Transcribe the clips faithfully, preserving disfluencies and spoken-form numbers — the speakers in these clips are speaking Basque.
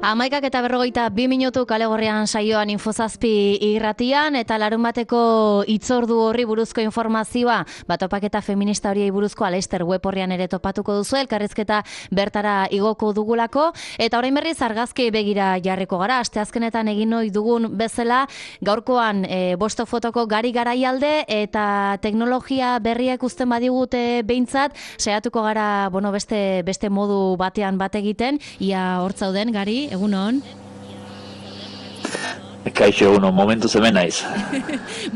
Hamaikak eta berrogeita bi minutu kale gorrian saioan Infozazpi irratian, eta larun bateko hitzordu horri buruzko informazioa, batopaketa feminista horiei buruzko Aleister web horrian ere topatuko duzu, elkarrizketa bertara igoko dugulako, eta orain berriz argazki begira jarriko gara, asteazkenetan egin ohi dugun bezala, gaurkoan e, bosto fotoko gari garaialde, eta teknologia berriak uzten badigute behintzat, saiatuko gara, bueno, beste, beste modu batean bat egiten, ia hortzauden, gari, egunon? Kaixo, egunon, momentuz hemen naiz.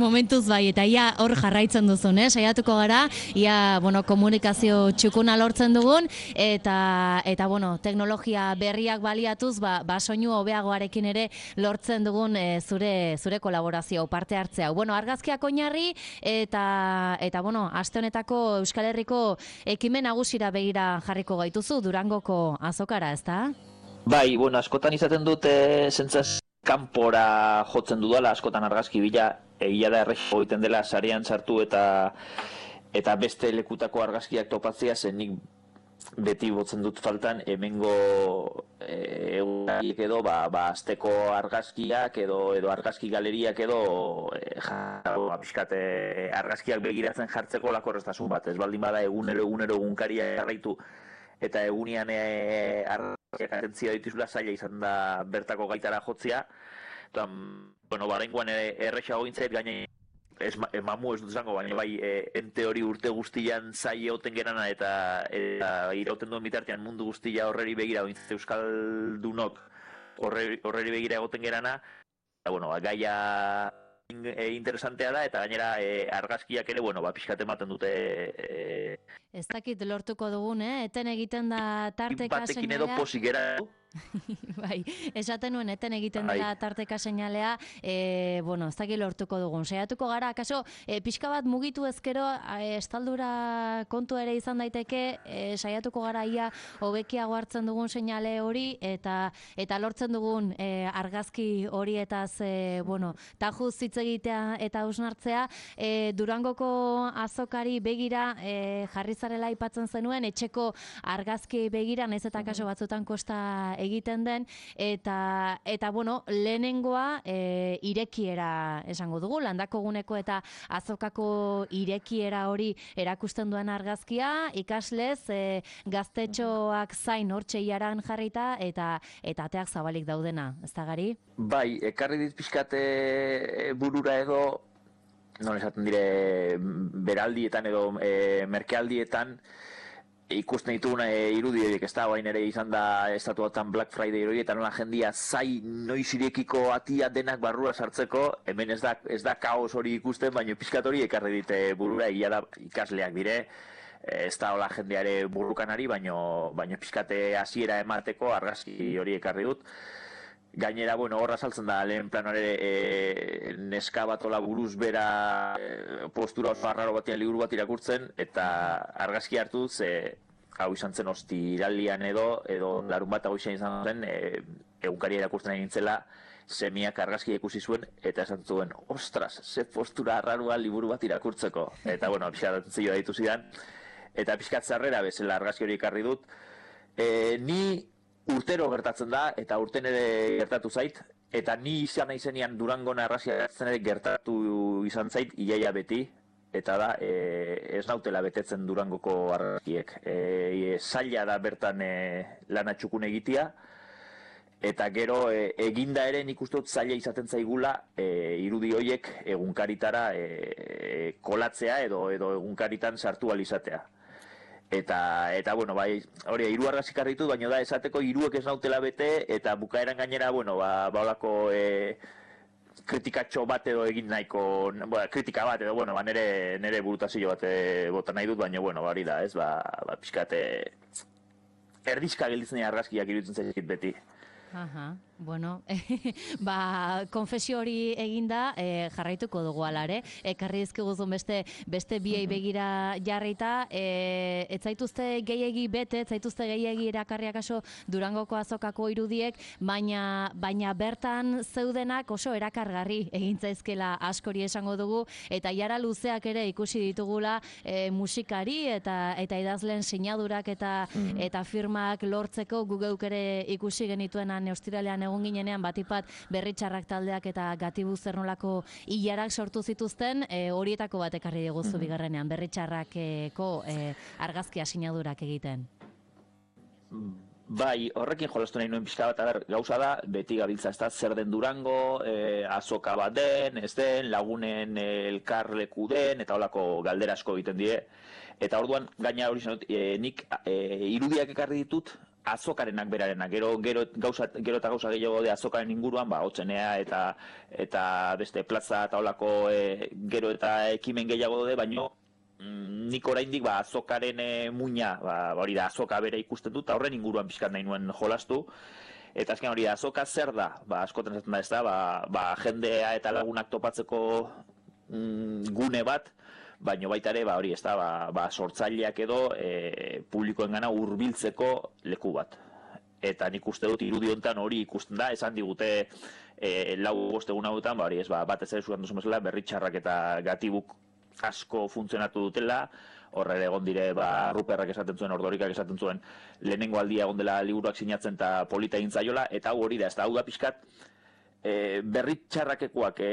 Momentuz bai, eta ia hor jarraitzen duzun, eh? Saiatuko gara, ia, bueno, komunikazio txukuna lortzen dugun, eta, eta bueno, teknologia berriak baliatuz, ba, ba soinu hobeagoarekin ere lortzen dugun e, zure, zure kolaborazio, parte hartzea. Bueno, argazkiak oinarri, eta, eta bueno, aste honetako Euskal Herriko ekimen nagusira begira jarriko gaituzu, Durangoko azokara, ezta? Bai, bueno, askotan izaten dute zentzaz kanpora jotzen dudala, askotan argazki bila, egia da errexo egiten dela sarean sartu eta eta beste lekutako argazkiak topatzea, zen nik beti botzen dut faltan hemengo egunariek edo, ba, ba asteko argazkiak edo edo argazki galeriak edo e, ja, pixkat argazkiak begiratzen jartzeko lakorreztasun bat, ez baldin bada egunero egunero egunkaria jarraitu eta egunian e, argazkiak atentzia dituzula zaila izan da bertako gaitara jotzea. Eta, bueno, baraingoan errexago gintzait, gaine ez, mamu ez dut zango, baina bai e, ente hori urte guztian zaila oten gerana eta, eta irauten duen bitartean mundu guztia horreri begira, ointze euskaldunok horreri, horreri begira egoten gerana. Eta, bueno, gaia e, interesantea da, eta gainera e, argazkiak ere, bueno, ba, pixkat ematen dute... E, Ez dakit lortuko dugun, eh? Eten egiten da tarteka batekin edo posik gera. Bai, esaten nuen eten egiten dela tarteka seinalea, e, bueno, ez dakit lortuko dugun. Saiatuko gara, akaso, e, pixka bat mugitu ezkero, e, estaldura kontu ere izan daiteke, e, saiatuko gara ia hobekiago hartzen dugun seinale hori, eta eta lortzen dugun e, argazki horietaz, e, bueno, tajuz hitz egitea eta hausnartzea, e, Durangoko azokari begira e, jarri zarela aipatzen zenuen, etxeko argazki begira, naiz eta kaso batzutan kosta egiten den, eta, eta bueno, lehenengoa e, irekiera esango dugu, landako guneko eta azokako irekiera hori erakusten duen argazkia, ikaslez, e, gaztetxoak zain hortxe iaran jarrita, eta eta ateak zabalik daudena, ez da gari? Bai, ekarri dit pixkate burura edo, non esaten dire, beraldietan edo e, merkealdietan, ikusten dituguna e, irudi horiek, ez da, bain ere izan da estatuatan Black Friday hori, eta nola jendia zai noiz irekiko atia denak barrura sartzeko, hemen ez da, ez da kaos hori ikusten, baina pixkat hori ekarri dite burura, egia da ikasleak dire, ez da hola jendeare burrukanari, baina baino pixkate hasiera emateko argazki hori ekarri dut. Gainera, bueno, horra saltzen da, lehen planore e, neska bat ola buruz bera e, postura oso arraro batean liburu bat irakurtzen, eta argazki hartu ze hau izan zen ostiralian edo, edo larun bat hau izan zen, e, egunkaria irakurtzen egin nintzela, semiak argazki ikusi zuen, eta esan zuen, ostras, ze postura arraroa liburu bat irakurtzeko. Eta, bueno, pixkat zio daitu zidan, eta pixkat zarrera bezala argazki hori ekarri dut. E, ni urtero gertatzen da, eta urten ere gertatu zait, eta ni izan naizenean Durangon argazkia gertatzen ere gertatu izan zait, iaia beti, eta da, e, ez nautela betetzen Durangoko argazkiek. E, zaila da bertan e, lana txukun egitea, eta gero e, eginda ere nik uste dut zaila izaten zaigula e, irudi horiek egunkaritara e, kolatzea edo, edo egunkaritan sartu alizatea. Eta, eta, bueno, bai, hori, hiru argazki ekarri ditut, baina da, esateko hiruek ez nautela bete, eta bukaeran gainera, bueno, ba, ba olako e, kritikatxo bat edo egin nahiko, bueno, kritika bat edo, bueno, ba, nere, nere burutazio bat e, bota nahi dut, baina, bueno, hori da, ez, ba, ba pixkate, erdizka gelditzen argazkiak iruditzen zaizkit beti. Aha. Bueno, ba, konfesio hori eginda e, jarraituko dugu alare. Ekarri dizkiguzun beste beste biei begira jarrita, e, ez zaituzte gehiegi bete, ez zaituzte gehiegi erakarriak aso Durangoko azokako irudiek, baina baina bertan zeudenak oso erakargarri egin zaizkela askori esango dugu, eta jara luzeak ere ikusi ditugula e, musikari eta eta idazleen sinadurak eta mm. eta firmak lortzeko gu geuk ere ikusi genituenan ostiralean egun ginenean batipat Berritxarrak taldeak eta Gatibu zer nolako ilarak sortu zituzten, e, horietako bat ekarri diguzu mm-hmm. bigarrenean, Berritxarrakeko e, argazkia sinadurak egiten. Bai, horrekin jolastu nahi nuen pixka bat, aber, gauza da, beti gabiltza ez da, zer den Durango, e, azoka bat den, ez den, lagunen elkarleku den, eta holako galdera asko egiten die. Eta orduan, gaina hori zenut, e, nik e, irudiak ekarri ditut, azokarenak berarenak, gero, gero, gauza, gero eta gauza gehiago de azokaren inguruan, ba, hotzenea eta, eta beste plaza eta holako e, gero eta ekimen gehiago de, baino mm, nik oraindik ba, azokaren e, muina, ba, hori da, azoka bere ikusten dut, eta horren inguruan pixkat nahi nuen jolastu. Eta azken hori da, azoka zer da, ba, askotan esaten da ez da, ba, ba, jendea eta lagunak topatzeko mm, gune bat, baina baita ere, ba, hori, ez da, ba, ba, sortzaileak edo e, publikoen gana hurbiltzeko leku bat. Eta nik uste dut irudi honetan hori ikusten da, esan digute e, lau bostegun hauetan, ba, hori, ez, ba, batez ere zuan duzun bezala, Berritxarrak eta Gatibuk asko funtzionatu dutela, horre egon dire, ba, Ruperrak esaten zuen, Ordorikak esaten zuen, lehenengo aldia egon dela liburuak sinatzen eta polita egin zaiola, eta hau hori da, ez da, hau da pixkat, E, Berritxarrakekoak e,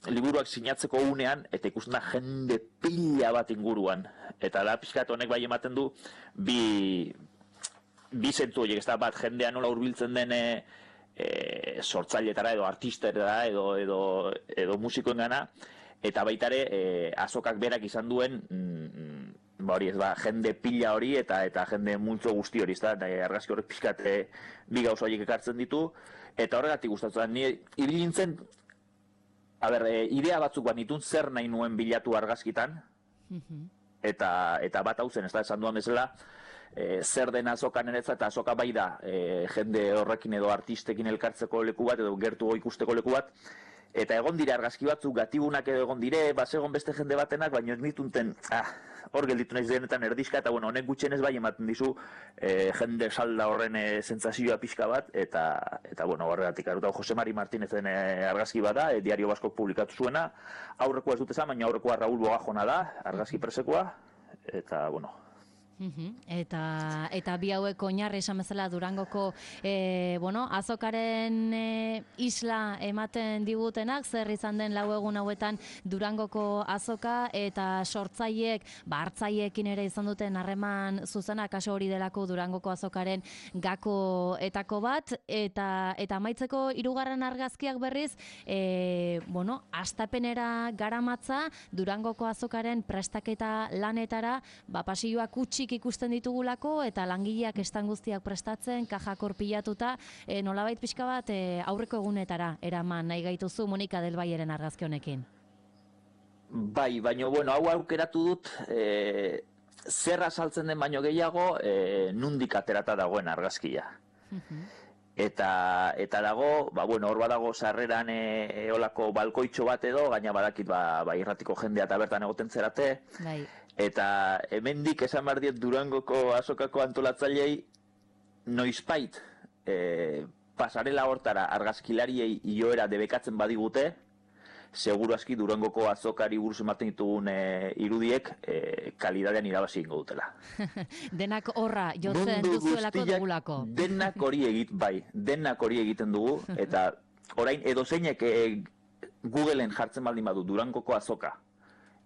liburuak sinatzeko unean, eta ikusten da jende pila bat inguruan. Eta da pixkat honek bai ematen du bi, bi zentu horiek, ez da bat jendea nola hurbiltzen den e, e, sortzailetara edo artistera edo, edo, edo musikoen gana, eta baita ere e, azokak berak izan duen mm, ba hori ez ba, jende pila hori eta eta jende multzo guzti hori, ez da, argazki horrek pixkat e, bi gauza horiek ekartzen ditu. Eta horregatik gustatzen da, ni ibili nintzen, a ber, e, idea batzuk bat nitun zer nahi nuen bilatu argazkitan, mm-hmm. eta, eta bat hau zen, ez da, esan duan bezala, e, zer den azokan eretza, eta azoka bai da, e, jende horrekin edo artistekin elkartzeko leku bat, edo gertu ikusteko leku bat, eta egon dire argazki batzuk, Gatibunak edo egon dire, basegon beste jende batenak, baina ez nitunten, ah, hor gelditu naiz denetan erdizka, eta bueno, honek gutxenez bai ematen dizu e, jende salda horren e, sentsazioa pixka bat, eta, eta bueno, horregatik aruta, Jose Mari Martinezen e, argazki bada, e, Diario Baskok publikatu zuena, aurrekoa ez dut esan, baina aurrekoa Raúl Bogajona da, argazki presekoa, eta bueno, Uhum. Eta, eta bi hauek oinarri esan bezala Durangoko e, bueno, azokaren e, isla ematen digutenak, zer izan den lau egun hauetan Durangoko azoka, eta sortzaileek, ba, hartzaileekin ere izan duten harreman zuzena, kaso hori delako Durangoko azokaren gakoetako bat, eta eta amaitzeko hirugarren argazkiak berriz, e, bueno, astapenera garamatza Durangoko azokaren prestaketa lanetara, ba, pasilloak utzi ikusten ditugulako, eta langileak estan guztiak prestatzen, kajak pilatuta, e, nolabait pixka bat e, aurreko egunetara eraman nahi gaituzu Monika del Valleren argazki honekin. Bai, baina bueno, hau aukeratu dut e, zer azaltzen den baino gehiago e, nundik aterata dagoen argazkia. Uh-huh. Eta, eta dago, ba, bueno, hor badago sarreran e, eolako balkoitxo bat edo, gaina badakit ba, ba, irratiko jendea eta bertan egoten zerate. Bai. Eta hemendik esan behar diet Durangoko azokako antolatzailei noizbait e, pasarela hortara argazkilariei ioera debekatzen badigute, seguru aski Durangoko azokari buruz ematen ditugun e, irudiek e, kalidadean irabazi ingo dutela. Denak horra jotzen duzuelako dugulako. Denak hori egit, bai, denak hori egiten dugu, eta orain edozeinek e, Googleen jartzen baldin badu Durangoko azoka,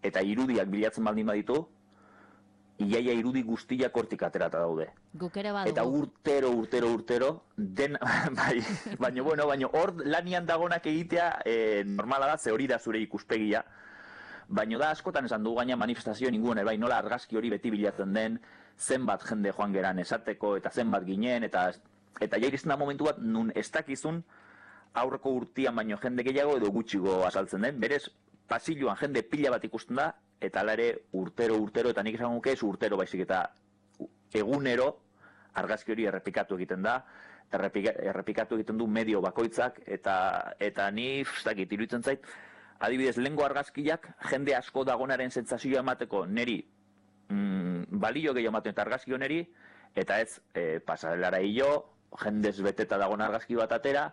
eta irudiak bilatzen baldin baditu, iaia irudi guztiak hortik aterata daude. Guk ere badugu. Eta urtero, urtero, urtero, den, bai, baina, bueno, baina hor lanian dagonak egitea e, normala da, ze hori da zure ikuspegia, baina da askotan esan dugu gaina manifestazioen inguruan, bai, nola argazki hori beti bilatzen den, zenbat jende joan geran esateko, eta zenbat ginen, eta eta jairisten da momentu bat, nun ez dakizun aurreko urtian baino jende gehiago edo gutxigo azaltzen den, berez, pasilloan jende pila bat ikusten da, eta ala ere urtero, urtero, eta nik esan guke ez urtero baizik, eta egunero argazki hori errepikatu egiten da, errepika, errepikatu egiten du medio bakoitzak, eta eta ni, ez dakit, iruditzen zait, adibidez, lehengo argazkiak jende asko dagonaren sentsazioa emateko neri mm, balio gehiago ematen eta argazki honeri, eta ez e, pasarelara hilo, jendez beteta dagoen argazki bat atera,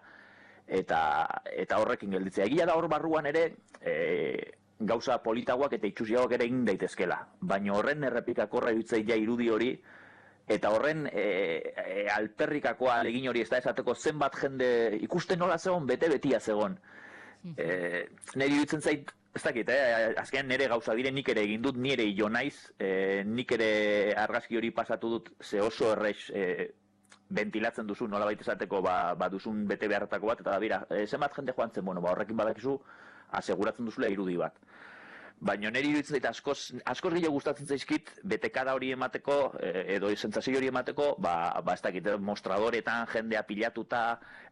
eta, eta horrekin gelditzea. Egia da hor barruan ere e, gauza politagoak eta itxusiagoak ere egin daitezkela, baina horren errepikakorra iruditzei ja irudi hori, eta horren e, e, alperrikakoa egin hori ez da esateko zenbat jende ikusten nola zegoen, bete-betia zegoen. E, nire iruditzen zait, ez dakit, eh? Azkenean nire gauza dire nik ere egin dut, nire hilo naiz, e, nik ere argazki hori pasatu dut, ze oso errez e, ventilatzen duzu, nola baita esateko, ba, ba duzun bete beharretako bat, eta da bira, e, zenbat jende joan zen, bueno, ba, horrekin badakizu, aseguratzen duzula irudi bat. Baina niri iruditzen zait askoz, askoz gehiago gustatzen zaizkit, betekada hori emateko, edo sentsazio hori emateko, ba, ba ez dakit, mostradoretan jendea pilatuta,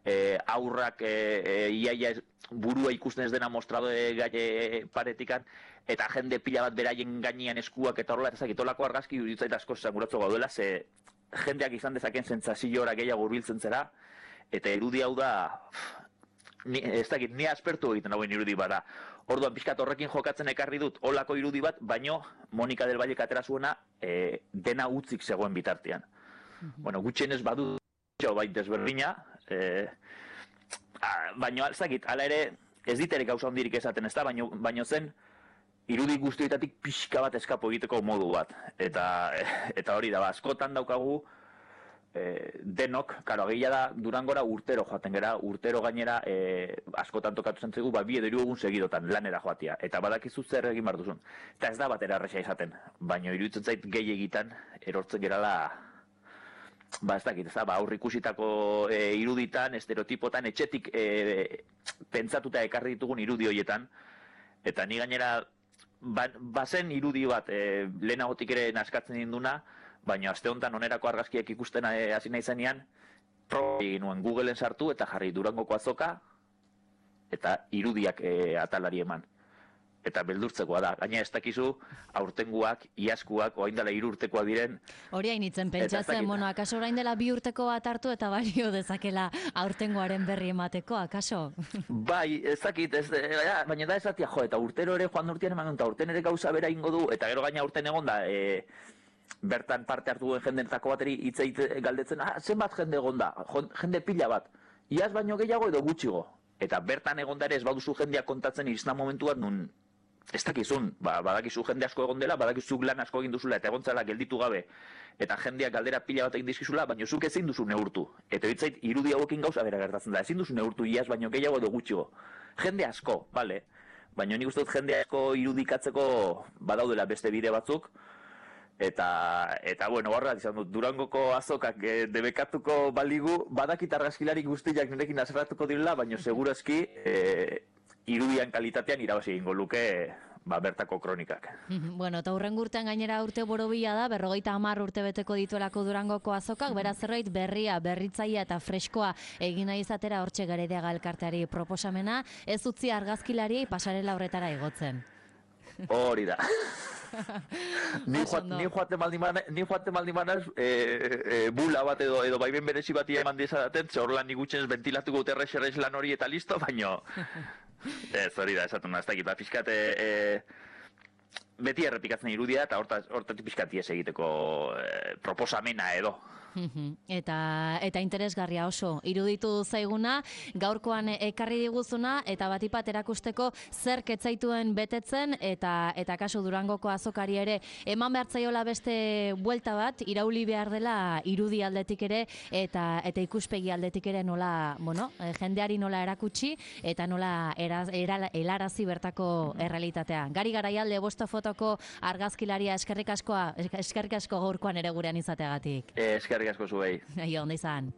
e, aurrak e, e, iaia burua ikusten ez dena mostradore gai paretikan, eta jende pila bat beraien gainean eskuak eta horrela, ez dakit, olako argazki iruditzen zait askoz zanguratzo gaudela, ze jendeak izan dezaken sentsazioa gehiago hurbiltzen zera, eta irudi hau da, ni, ez dakit, ni aspertu egiten hauen irudi bada. Orduan pixkat horrekin jokatzen ekarri dut olako irudi bat, baino Monika del Valle atera zuena e, dena utzik zegoen bitartean. Mm-hmm. Bueno, gutxienez badu bai desberdina, e, baino ez dakit, hala ere ez ditere gauza hondirik esaten ez da, baino, baino zen irudi guztioetatik pixka bat eskapo egiteko modu bat. Eta, eta hori da, ba, askotan daukagu, E, denok, karo, ageia da Durangora urtero joaten gera, urtero gainera e, askotan tokatu zentzegu, ba, bi edo hiru egun segidotan lanera joatia, eta badakizu zer egin behar duzun. Eta ez da batera erresa izaten, baina iruditzen zait gehi egitan erortzen gerala, ba ez dakit, ez da, ba, aurrikusitako e, iruditan, estereotipotan, etxetik e, pentsatuta ekarri ditugun irudi horietan, eta ni gainera, ba, bazen irudi bat, e, lehenagotik ere naskatzen dinduna, baina aste honetan onerako argazkiak ikusten hasi nahi zenean, proba egin nuen Googleen sartu eta jarri Durangoko azoka eta irudiak e, atalari eman. Eta beldurtzekoa da. Gaina ez dakizu aurtenguak, iazkuak, orain dela hiru urtekoak diren. Hori hainitzen pentsatzen, bueno, akaso orain dela bi urteko bat hartu eta balio dezakela aurtengoaren berri emateko, akaso? Bai, ez dakit, ez, ja, baina da esatia, jo, eta urtero ere joan urtean eman, eta urten ere gauza bera ingo du, eta gero gaina urten egon da, e, bertan parte hartu duen jendenetako bateri hitz egite galdetzen, ah, zenbat jende egon da, jende pila bat, iaz baino gehiago edo gutxigo. Eta bertan egon da ere ez baduzu jendea kontatzen izan momentu bat nun, ez dakizun, ba, badakizu jende asko egon dela, badakizu lan asko egin duzula eta egontzala gelditu gabe, eta jendeak galdera pila bat egin dizkizula, baina zuk ezin duzu neurtu. Eta hitzait irudi hauekin gauza bera gertatzen da, ezin duzu neurtu iaz baino gehiago edo gutxigo. Jende asko, bale, baina nik uste dut jende asko irudikatzeko badaudela beste bide batzuk, Eta, eta bueno, horrela izan dut, Durangoko azokak e, debekatuko baligu, badakit argazkilari guztiak nirekin azerratuko direla, baina segurazki e, irudian kalitatean irabazi egingo luke ba, bertako kronikak. Bueno, eta hurrengo urtean gainera urte borobila da, berrogeita hamar urte beteko dituelako Durangoko azokak, beraz zerbait berria, berritzaia eta freskoa egin nahi izatera hortxe Garediaga elkarteari proposamena, ez utzi argazkilari pasarela horretara igotzen. Hori da. Ni joate maldi manaz e, e, bula bat edo, edo baiben berezi bati eman dizadaten, ze horrelan nik gutxenez ventilatuko dut errex errex lan hori eta listo, baino ez hori da, esatu ez dakit, ba, pixkate e, beti errepikatzen irudia eta hortatik pixkati ez egiteko e, proposamena edo. Eta, eta interesgarria oso, iruditu zaiguna, gaurkoan ekarri diguzuna, eta batipat erakusteko zer ketzaituen betetzen, eta eta kasu Durangoko azokari ere, eman behartzaiola beste buelta bat, irauli behar dela irudi aldetik ere, eta eta ikuspegi aldetik ere nola, bueno, jendeari nola erakutsi, eta nola eraz, eral, helarazi bertako errealitatea. Gari Garaialde, bosto fotoko argazkilaria, eskerrik askoa, eskerrik asko gaurkoan ere gurean izateagatik. Eskerrik asko zuei. Aio, ondo izan.